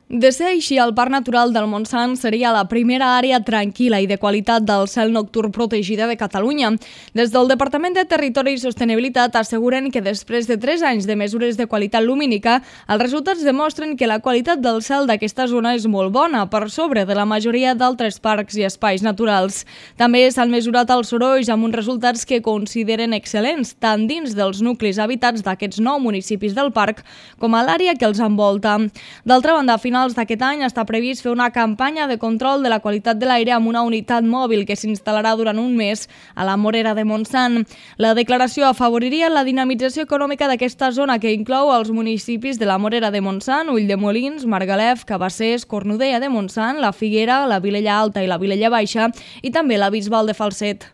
De ser així, el Parc Natural del Montsant seria la primera àrea tranquil·la i de qualitat del cel nocturn protegida de Catalunya. Des del Departament de Territori i Sostenibilitat asseguren que després de 3 anys de mesures de qualitat lumínica, els resultats demostren que la qualitat del cel d'aquesta zona és molt bona, per sobre de la majoria d'altres parcs i espais naturals. També s'han mesurat els sorolls amb uns resultats que consideren excel·lents, tant dins dels nuclis habitats d'aquests 9 municipis del parc com a l'àrea que els envolta. D'altra banda, a finals d'aquest any està previst fer una campanya de control de la qualitat de l'aire amb una unitat mòbil que s'instal·larà durant un mes a la Morera de Montsant. La declaració afavoriria la dinamització econòmica d'aquesta zona, que inclou els municipis de la Morera de Montsant, Ulldemolins, Margalef, Cabassers, Cornudella de Montsant, la Figuera, la Vilella Alta i la Vilella Baixa i també la Bisbal de Falset.